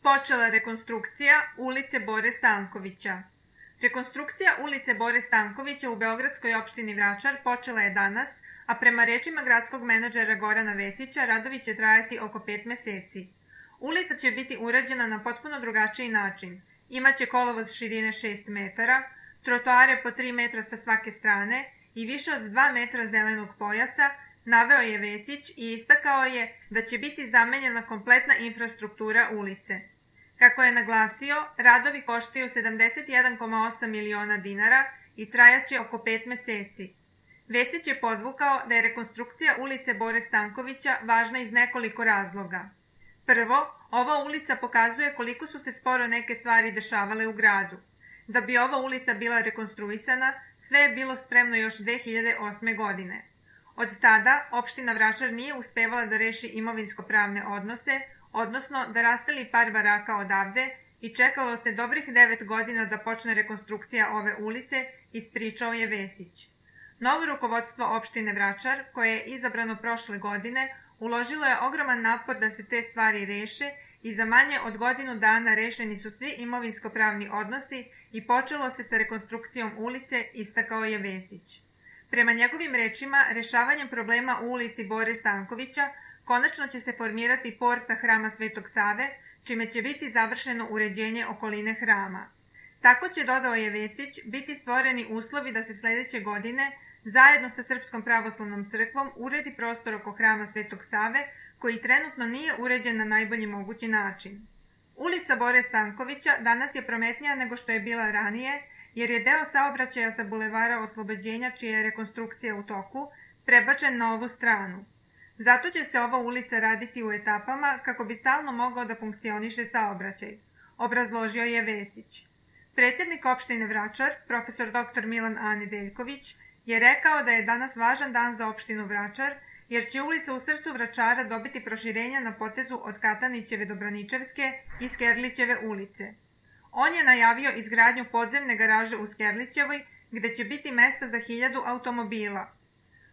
Počela rekonstrukcija ulice Bore Stankovića. Rekonstrukcija ulice Bore Stankovića u beogradskoj opštini Vračar počela je danas, a prema rečima gradskog menadžera Gorana Vesića, radovi će trajati oko 5 meseci. Ulica će biti urađena na potpuno drugačiji način. Imaće kolovoz širine 6 metara, trotoare po 3 metra sa svake strane i više od 2 metra zelenog pojasa, naveo je Vesić i istakao je da će biti zamenjena kompletna infrastruktura ulice. Kako je naglasio, radovi koštaju 71,8 miliona dinara i trajaće oko 5 meseci. Vesić je podvukao da je rekonstrukcija ulice Bore Stankovića važna iz nekoliko razloga. Prvo, ova ulica pokazuje koliko su se sporo neke stvari dešavale u gradu. Da bi ova ulica bila rekonstruisana, sve je bilo spremno još 2008. godine. Od tada, opština Vračar nije uspevala da reši imovinsko-pravne odnose, odnosno da raseli par baraka odavde i čekalo se dobrih 9 godina da počne rekonstrukcija ove ulice, ispričao je Vesić. Novo rukovodstvo opštine Vračar, koje je izabrano prošle godine, uložilo je ogroman napor da se te stvari reše i za manje od godinu dana rešeni su svi imovinsko-pravni odnosi i počelo se sa rekonstrukcijom ulice, istakao je Vesić. Prema njegovim rečima, rešavanjem problema u ulici Bore Stankovića konačno će se formirati porta hrama Svetog Save, čime će biti završeno uređenje okoline hrama. Tako će, dodao je Vesić, biti stvoreni uslovi da se sledeće godine, zajedno sa Srpskom pravoslavnom crkvom, uredi prostor oko hrama Svetog Save, koji trenutno nije uređen na najbolji mogući način. Ulica Bore Stankovića danas je prometnija nego što je bila ranije, jer je deo saobraćaja sa bulevara Oslobođenja, čija je rekonstrukcija u toku, prebačen na ovu stranu. Zato će se ova ulica raditi u etapama kako bi stalno mogao da funkcioniše saobraćaj, obrazložio je Vesić. Predsednik opštine Vračar, profesor dr. Milan A. Nedeljković, je rekao da je danas važan dan za opštinu Vračar, jer će ulica u srcu Vračara dobiti proširenja na potezu od Katanićeve do Braničevske i Skerlićeve ulice. On je najavio izgradnju podzemne garaže u Skerlićevoj, gde će biti mesta za 1000 automobila.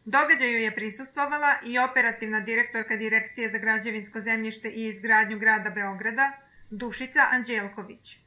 Događaju je prisustvovala i operativna direktorka Direkcije za građevinsko zemljište i izgradnju grada Beograda, Dušica Anđelković.